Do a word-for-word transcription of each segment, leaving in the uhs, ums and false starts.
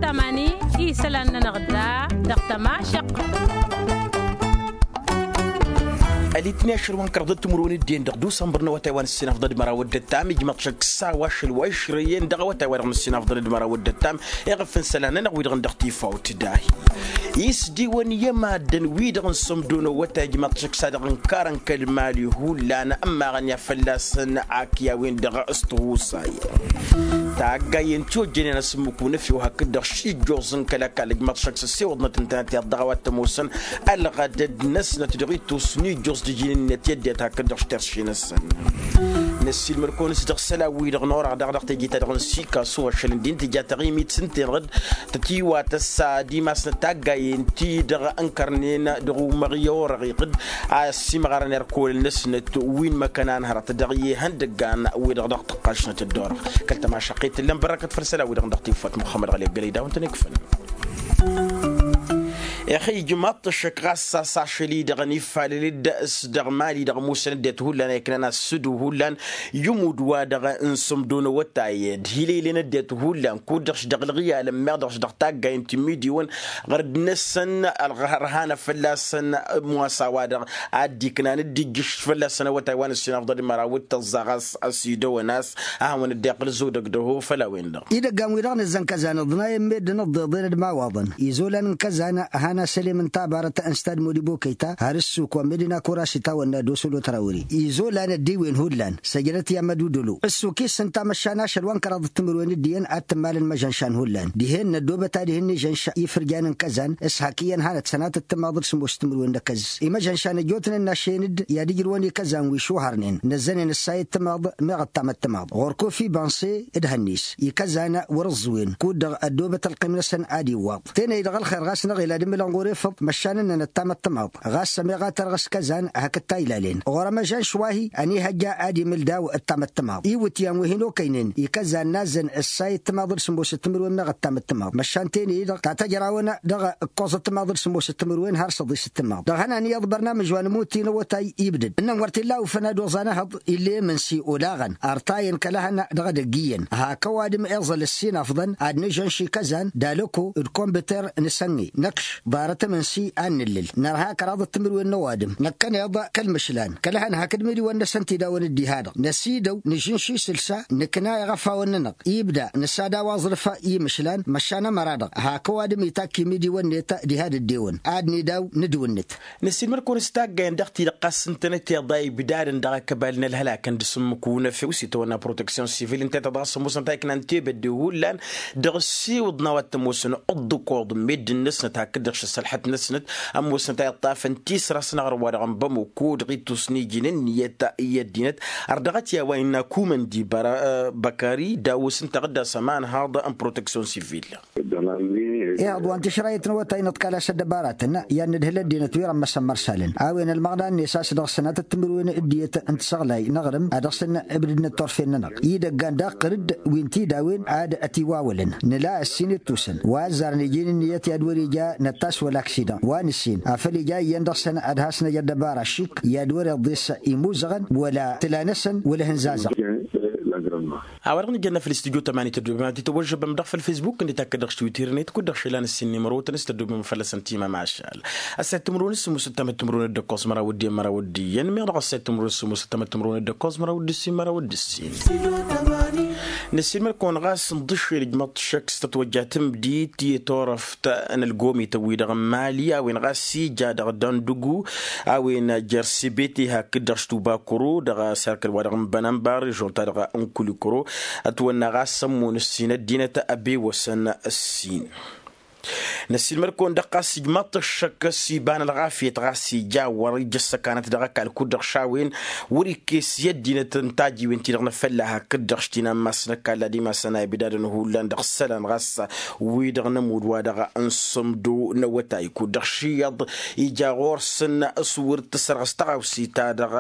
Tamani i-isălan-nănăɣ da dăɣ-tămašăqq. Ălitni ašăl wa n-kăraḍ d-timǝrwen d-iyyăn dăɣ-dusănbăr n-awătay wa n-ǝssin afḍăl d-măraw d-ăttam ijmăḍ šăkk s-a-wa ašăl wa išrăyăn dăɣ-awătay wa dăɣ-nǝssin afḍăl d-măraw d-ăttam. Iɣǝf n-isălan-nănăɣ wi-dăɣ n-dăɣ-tifawt dahi isdiwăn i-ămaddăn wi-dăɣ n-sămdo n-awătay ijmăḍ šăkk s-a-dăɣ ǝnkarăn kăl-imali hullan ămmaɣăn i-ad-fălla-săn ak i-a-wen-dăɣ s-tihusay. Taggayen ti ojjănen asǝmmǝk unăfew hakd-dăɣ šijjoẓ n-kăl-ăkall ǝjmăḍ šăkk s-ăssewăḍnăt ǝntănăt i-ad-dăɣ a-wa t-ămoosăn ălɣădăd-năsnăt dăɣ-ittus n-ijjoẓ d-iji n-ǝnniyăt i-ăddinăt hakd-dăɣ š-terše-năsăn. Năssiilmăd-kăwăn-s dăɣ-isălan-wi-dăɣ n-orăɣ daɣ dăɣ-teje-ta-dăɣ n-sikasu ašăl ǝndin tǝja taɣimit s-ǝnta-enăɣ-dd tătiwatăs ad-imasnăt taggayen-ti-dăɣ ǝnkărnen dăɣ-umăɣ i-orăɣ iɣǝd a ăssiimăɣărăn irkolăn-năsnăt wi n-imăkănan hărăt dăɣ-i ihăndăggan-wi-dăɣ dăɣ-tǝqqašnăt dd-orăɣ. Kăl-tămašăqqet tǝllăn bărrăkăt făll-isălan-wi-dăɣ n-dăɣ-tiwfat muxămmăd ɣăli ăggălăy d-a-wen-tăn-ikfălăn. Ixăyy ijmaḍ-t ăššăk ɣas a-s ašăl-i-dăɣ ănifalăl-dd s-dăɣ imali-dăɣ ămoosăn ăddinăt hullan a iknan asǝdu hullan i-umud-wa-dăɣ n-sǝmdo n-awătay d-hi-lăylen ăddinăt hullan kud-dăɣ-š dăɣ-ǝlɣiyalăn meɣ dăɣ-š dăɣ-taggayen ti n-imidiwăn ɣărd-năsăn ălɣărhanăt fălla-săn. Ămoos a-wa-dăɣ ad-dd-iknan dd-ijjǝš fălla-săn awătay wa n-ǝssin afḍăl d-măraw d-tăẓẓa ɣas ăsidăwăn a-s ad-hawăn-dd-iqqǝl zodăg dăho făll-a-wen-dăɣ. Idăggan-wi-dăɣ nǝzzăn kăzan ǝḍnayăn meddǝn ǝḍḍeḍen d-imawaḍăn izolan n-kăzan. Han asălem n-tabarăt n-stad modibo kăyta har ǝssuk wa meddǝn akurasi tawănna d-osălo tărawări izolan ăddiwen hullan săjdăt i-amădudălo ǝssuk-i s-ǝnta măšan ašăl wa n-kăraḍ d-timǝrwen d-iyyăn ad-tǝmmalăn imăžănšan hullan dihen năddoobăt ad-ihǝnni žănš ifǝrjan n-kăzan s-hak iyyăn hanăt-sănatăt timaḍ d-sǝmmos d-timǝrwen n-akăzzǝs imăžănšan ăjjootnen n-ašen-dd i-ad-ǝjrǝwăn ikăzan wi šuhărnen năzzănen ǝssayăt timaḍ meɣ ăttamăt timaḍ ɣur-kofi banse d-hănnis ikăzan wăr-ǝẓẓǝwen kud-dăɣ ăddoobăt ălqim-năsăn ad-iwwaḍ tenăy-dăɣ ălxer ɣas n-aɣilad imǝlăn ɣur-efăḍ măšan ǝnnăn ăttamăt timaḍ ɣas ămeɣ a tărɣǝs kăzan hakd ta ilalăn ɣur-emăžan šwahi ănihăjja ad-imǝl daw ăttamăt timaḍ iwǝtyan wi hin-okăynen ikăzan n-azzăn ǝssayăt timaḍ d-sǝmmos d-timǝrwen meɣ ăttamăt timaḍ măšan tenăy-dăɣ ta tăjrawăn dăɣ-ǝkkoẓăt timaḍ d-sǝmmos d-timǝrwen har săḍis d-timaḍ dăɣ-hăn aniyyăḍ bărnamǝj wa n-ămuti n-awătay ibdăd ǝnnăn wăr t-illa ufăn ad-oẓan ehăḍ ill'-e imǝnsi olaɣăn ărtayăn kăl-ehăn dăɣ-edăgg iyyăn hak ăwadǝm eẓăl ǝssin afḍăn ad-nǝžžăn šikăzan d-alăko d-kombiṭer n-asănge năkš ḍarăt imǝnsi ad-nǝllǝl nărha kăraḍăt timǝrwen n-ăwadǝm năkkăneḍ kăl-imǝšlan kăl-ehăn hakd imǝdiwăn-năsăn tidawăn d-iha-dăɣ năsidăw nǝžžǝnš isǝlsa nǝkna iɣăfawăn-nănăɣ ibda nǝsad a-wa ẓrǝf i-imǝšlan măšan ămăra-dăɣ hak ăwadǝm itakk imǝdiwăn-net diha d-ăddewăn ad-nidaw n-ǝdwǝnnǝt. Năssiilmăd-kăwăn s-taggayăn dăɣ-ti-dăɣ ɣas ǝntănăt iḍa ibdadăn dăɣ-akăbal n-ălhălak n-dăɣ-s ǝmmǝk unăfew s-itawănna proteksyon sivil ǝnta-i-ta dăɣ-s ămoosăn ta iknan tebădde hullan dăɣ-ăssiwǝḍ n-a-wa t-ămoosăn ǝḍḍǝkoḍ n-meddǝn-năsnăt hakd-dăɣ šăssălḥăt-năsnăt ămoosăn ta iṭṭafăn tisra s-ănăɣrǝw-wa-dăɣ n-bamăko dăɣ-ittus n-iji n-ǝnniyăt i-ăddinăt. Ărdăɣăt i-a-wa innă kumăndi băkari dawǝs ǝnta ɣǝddas ămanhaḍ n-proteksyon sivil. Ehăḍ wa n-tišrayăt n-awătay nǝḍkal a-s ăddăbaratăn i-ad-nǝdhǝl ăddinăt wi rămmăsăn mărsalăn a-wen ălmăɣna-net a-s dăɣ-sănatăt timǝrwen d-iyyăt n-tisăɣlay n-aɣrǝm a dăɣ-săn ǝbdǝdnăt turfen-nănăɣ idăggan daɣ qărǝd wi n-tidawen ad-ătiwawălăn nǝla ăssin ittusăn wa ăzzarăn iji n-ǝnniyăt i-ad-wăr-ija năttas wăla aksidan wa nǝssin afăl ija iyyăn dăɣ-săn ad-has-năj ăddăbara šik i-ad-wăr-iḍes imuzăɣăn wăla tǝla-năsăn wăla ihǝnzazăɣ. A-wa-dăɣ nǝjănna făll-istudyo tămani tăddobem ad-t-tăwăžžăbăm dăɣ-făll-fesbuk ǝnni takkăd dăɣ-štwităr-net kud-dăɣ šălan ǝssin n-imrăwătăn s-tăddobem fălla-săn timămašal. Ăssayăt timǝrwen s-sǝmmosăt tamăt timǝrwen d-ǝkkoẓ măraw d-iyyăn măraw d-iyyăn meɣ dăɣ-ăssayăt timǝrwen s-sǝmmosăt tamăt timǝrwen d-ǝkkoẓ măraw d-ǝssin măraw d-ǝssin. Năssiilmăd-kăwăn ɣas n-iḍǝššel ǝjmăḍ šăkk s-tătwăjja tǝmdit i-turăft n-ălgomităn-wi-dăɣ n-mali a-wen ɣas ija dăɣ-dăndugu a-wen jer-sibete hakd-dăɣ štubakuru dăɣ-serkăl-wa-dăɣ n-bănănba režion-ta-dăɣ n-kulikuro. Ătwănna ɣas ămmun ǝssin ăddinăt ăbewăsăn ǝssin. Năssiilmăd-kăwăn-dăɣ ɣas ijmaḍ-t ăššăk s-iba n-ălɣafyăt ɣas ija wăr-ija ăssăkanăt dăɣ-ăkall kud-dăɣ šawen wăr-ikkes i-ăddinăt n-tajiwen-ti-dăɣ n-afălla hakd-dăɣ š-tinammas n-ăkall ad-imasăn a ibdadăn hullan dăɣ-isălan ɣas wi-dăɣ n-ămudd wa-dăɣ n-sǝmdo n-awătay kud-dăɣ šiyyăḍ ija ɣur-săn s-wăr t-sărɣǝs tăɣawse-ta-dăɣ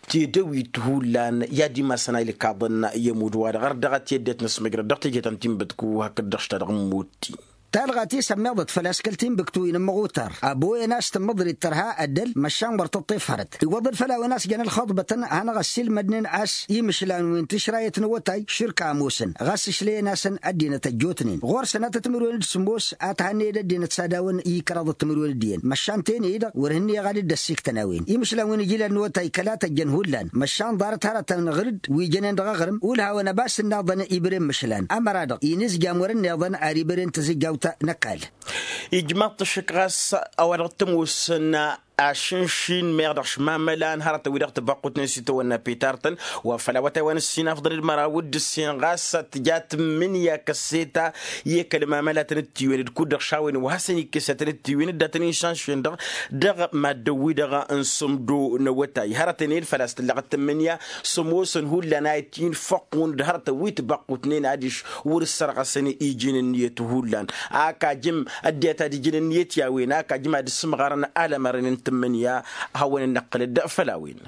tidăwit hullan i-ad-imasăn a ilkaḍăn i-ămudd wa-dăɣ ărdăɣăt i-ăddinăt n-asmăjrăd dăɣ-teje ta n-tinbătku hakd-dăɣ š-ta-dăɣ n-mutti. Talɣa ti s-ămmiḍăt făl-a-s kăl-tinbǝktu-in n-imɣutar ăboyăn a-s tǝmmǝḍrit tărha ăddăl măšan wăr tǝṭṭef hărăt iwwăḍăn făll-a-wen a-s jăn ălxuḍbătăn. Hanăɣ-ăssiilmădnen a-s imǝšlan wi n-tišrayăt n-awătay širka ămoosăn ɣas ǝšlăyăn-asăn ăddinăt ăjjootnen ɣur-săn a tăt-timǝrwen d-sǝmmos a tihănnăyăd ăddinăt s-ad-awăn i-kăraḍăt timǝrwen d-iyyăn măšan tene-i-dăɣ wăr hǝnnăyăɣ ad-dd-ăssiktăn a-wen imǝšlan wi n-ijilal n-awătay kăla tăjjăn hullan măšan ḍarăt hărătăn ɣǝr-dd wi jănen dăɣ-aɣrǝm ulhawăn ăbas ǝnnaḍăn ibren mǝšlan ămăra-dăɣ inǝzjam wăr-ǝnniḍăn ar ibren tǝzǝjjawt n-ăkall. Ijmaḍ-t ăššǝk ɣas a-wa dăɣ-t ămoosăn ašǝnšin meɣ dăɣ-šmamălan hărătăn-wi-dăɣ tǝbăqqutnen s-itawănna pitartăn wa făl awătay wa n-ǝssin afḍăn d-măraw d-ǝssin ɣas tǝja tǝmmǝnǝya kăsseta i-kăl-mamălatăn d-tiwen d-kud-dăɣ šawen wa hasăn-ikkesătăn d-tiwen d-datăn-in šanšen-dăɣ dăɣ-maddǝn-wi-dăɣ n-sǝmdo n-awătay hărătăn-en făl-a-s tǝllăɣăt tǝmmǝnǝya s-ămoosăn hullan a itǝyǝnfăqqun d-hărătăn wi tǝbăqqutnen adiš wăr-ǝssărɣăsăn iji n-ǝnniyăt hullan. Ak ajǝm ăddinăt ad-iji n-ǝnniyăt i-a-wen ak ajǝm ad-ǝssǝmɣarăn alămărăn n-tǝmmǝnǝya a hawăn-dd-năqqǝlăd făll-a-wen.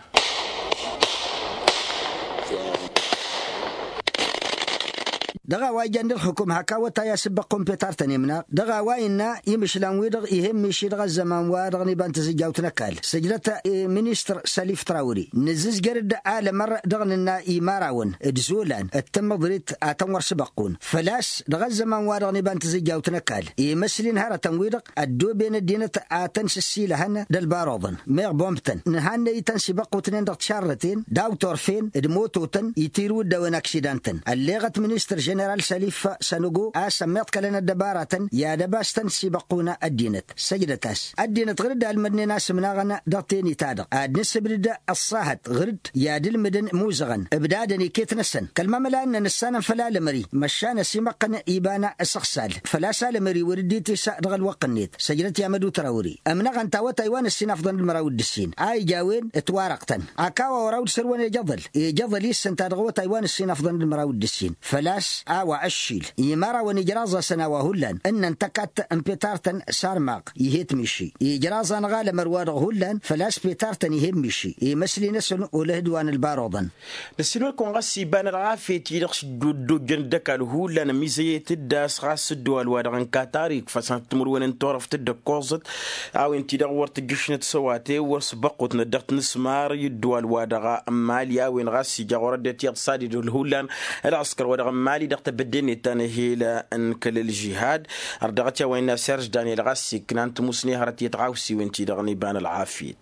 Dăɣ-a-wa ijan d-ǝlxǝkum hak awătay a-s ǝbbăqqun petartăn imnaɣ dăɣ-a-wa innă imǝšlan-wi-dăɣ ih'-e ǝmmiši dăɣ-ăzzăman wa dăɣ-niba n-tǝzǝjjawt n-ăkall săjdăt i-ministăr sălif trawri nǝzzǝzjăr-dd alămăr dăɣ-nǝnna imărawăn d-izolan d-tǝmmǝḍrit a tăn-wăr s-ǝbăqqun făl-a-s dăɣ-ăzzăman wa dăɣ-niba n-tǝzǝjjawt n-ăkall imăsli n-hărătăn-wi-dăɣ ăddooben ăddinăt a tăn-sǝssilăhăn d-ălbaruḍăn meɣ bombtăn nǝhannăy-tăn s-ibăqqutnen dăɣ-tišarrăten d-a-wa turfen d-imototăn itirǝw-dd a-wen aksidantăn ălleɣăt ministăr ženeral sălif sănăgo a-s ămmiḍkălăn ăddăbaratăn i-ad-ăbas tăn-sibăqqun ăddinăt săjdăt-as ăddinăt ɣǝr-dd almădnen a-s ǝmnaɣăn dăɣ-teni-ta-dăɣ ad-nǝssǝbdǝd ăṣṣahăt ɣǝr-dd i-ad-ǝlmǝdăn imuzăɣăn ǝbdadăn iket-năsăn kăl-mamăla ǝnnăn ǝssanăn făll-alămări măšan ăsimăqqăn iba n-asăɣsal făl-a-s alămări wăr dd-itis dăɣ-ălwăqq-net săjdăt i-amădu trawri ămnăɣăn tawătay wa n-ǝssin afḍăn d-măraw d-ǝssin a ija a-wen ǝtwarăɣ-tăn. Ak a-wa wăr-awd sărwăn ejăḍăl ejăḍăl-i s-ǝnta dăɣ-awătay wa n-ǝssin afḍăn d-măraw d-ǝssin făl-a-s a-wa ăššil imărawăn ijraẓ-asăn a-wa hullan ǝnnăn tăkadt n-petartăn sarmaɣ ih'-e tmiši ijraẓ-anăɣ alămăr-wa-dăɣ hullan făl-a-s petartăn ih'-e ǝmmiši imăsli-năsăn olăhǝd wa n-ălbaruḍăn. Năssiilmăd-kăwăn ɣas iba n-ălɣafyăt-i-dăɣ s-dd-ojjăn dd-ăkall hullan ămizăyăt-dd a-s ɣas ăddăwal-wa-dăɣ n-katar ikf'-asăn timǝrwen n-turăft dd-ăkkoẓăt a-wen-ti-dăɣ wăr tǝjjǝšnăt s-ăwate wăr s-băqqutnăt dăɣ-tinǝsmar i-ăddăwal-wa-dăɣ n-mali a-wen ɣas ija ɣur-ăddinăt iyyăḍ s-ad-idhǝl hullan ălɣǝskăr-wa-dăɣ n-mali dăɣ-tebădde-net ta n-ehel n-kăl-ălžihad. Ărdăɣăt i-a-wa innă serž daniel ɣas iknan timusne hărăt i-tiɣawsiwen-ti-dăɣ n-iba n-ălɣafyăt.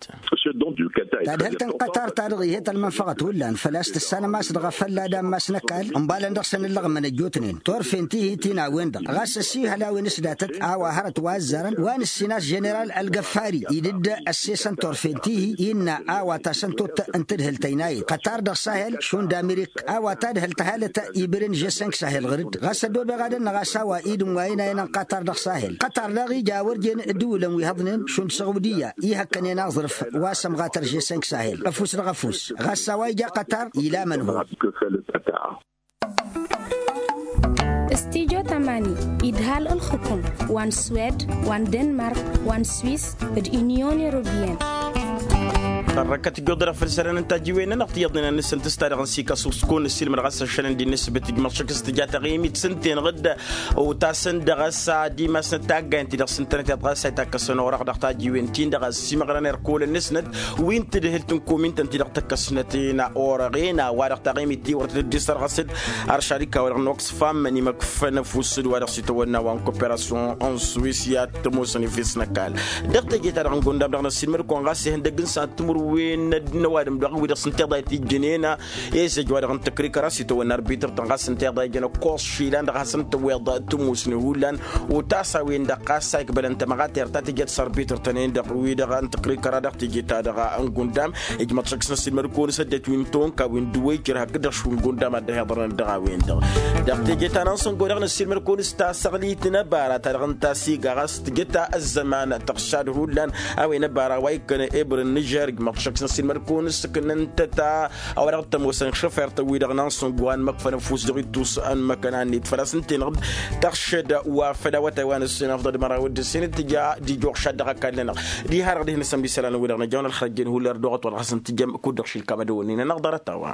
Tadhǝlt n-qatar ta-dăɣ ihet ălmănfăɣăt hullan făl-a-s tǝssanăm a-s dăɣ-afălla d-ammas n-ăkall ǝnḍalăn dăɣ-săn ǝllăɣmăn ăjjootnen turfen ti-hi ti n-a-wen-dăɣ ɣas ăsihăl a-wen s-datăt a-wa hărăt wa ăzzarăn wa n-ǝssin a-s ženeral ălgăffari idǝd ăssesăn turfen ti-hi innă a-wa tasăn-tot n-tadhǝlt ăynayăt qătar dăɣ-sahel šund amirik a-wa tadhǝlt ăhalăt ibren žesănk sahel ɣǝr-dd ɣas ăddobeɣ ad-ănnăɣ a-s a-wa idǝm wa inayăn n-qatar dăɣ-sahel qătar daɣ ija a wăr jen ǝddǝwǝlăn wi hăḍnen šund săɣudiya ihăkkănen aẓrǝf wa s-ămɣatăr žesănk sahel ăfuss dăɣ-ăfuss ɣas a-wa ija qatar ila mănhun. Studyo tamani idhal ǝlxǝkum wa n-swed wa n-denmark wa n-swis d-unyon europeyăn. Tărrăkăt ǝjjuḍăr afăl isălan n-tajiwen-nănăɣ tiyyăḍnen ad-nǝssǝntǝs ta dăɣ-nǝsik asuskun nǝssilmăd ɣas ăššălăn d-inǝsbǝt ijmăḍ šăkk s-tǝja taɣimit s-ǝnten ɣǝd otasăn dăɣ-s ad-imasnăt taggayen-ti-dăɣ s-ǝntănăt iḍɣas a itakkăsăn orăɣ dăɣ-tajiwen-tin-dăɣ a ăssiimăɣrăn erkol-năsnăt wi n-tadhǝlt n-komin-tăn-ti-dăɣ tăkkăsnăt-en orăɣen a-wa-dăɣ taɣimit-ti wăr tăt-dd-isărɣăs-dd. Ar šarika-wa-dăɣ n-oxfam n-imăkfăn ăfuss d-wa-dăɣ s-itawănna wa n-koperasyon n-swis i-ad-tămoosăn efes n-ăkall. Dăɣ-teje-ta-dăɣ n-gundam dăɣ-năssiilmăd-kăwăn ɣas ihăndăgg n-san timǝrwen n-ăwadǝm dăɣ-wi-dăɣ s-ǝnta iḍa itijjănen ezăj wa dăɣ-n-tăkrikăra s-itawănna arbităr-tăn ɣas ǝnta iḍa ijăn ăkkoẓ išilan dăɣ-hasăn-tăwweḍ tămoosne hullan. Otasa-wen-dăɣ ɣas a ikbălăn tămăɣater ta tǝjăt s-arbităr-tăn-en-dăɣ wi-dăɣ n-tăkrikăra dăɣ-teje-ta-dăɣ n-gundam. Ijmăḍ šăkk s-năssiilmăd-kăwăn s-ăddinăt wi n-tonka wi n-dăwăy căr hakd-dăɣ šund gundam ad-dd-ăhiḍărnăt dăɣ-a-wen-dăɣ. Dăɣ-teje ta n-ansăngo-dăɣ năssiilmăd-kăwăn s-tasăɣlit n-ăbara ta dăɣ-n tasiga ɣas tǝjăt ăzzăman tăɣšad hullan. A-wen ăbara wa ikkăn ebrǝn n-žerg măḍšăk s-năssiilmăd-kăwăn s-ǝknăn-tăt a-wa dăɣ-t-ămoosăn šăfer-tăn wi-dăɣ n-ansăngo a n-măkfăn ăfuss dăɣ-ittus n-măkăna-net făl-a-s ǝnta-enăɣ-dd tăɣšăd wa făll-awătay wa n-ǝssin afḍăl măraw d-ǝssin tǝja d-ijoɣšad dăɣ-ăkall-nănăɣ. Diha-dăɣ dihen-năsăn bisălan-wi-dăɣ năjăwăn ălxărăjjen hullan ărdăɣăt wa dăɣ-hasăn-tǝjăm kud-dăɣ šilkam ad-ăwănnin-anăɣ ḍarăt-a-wa.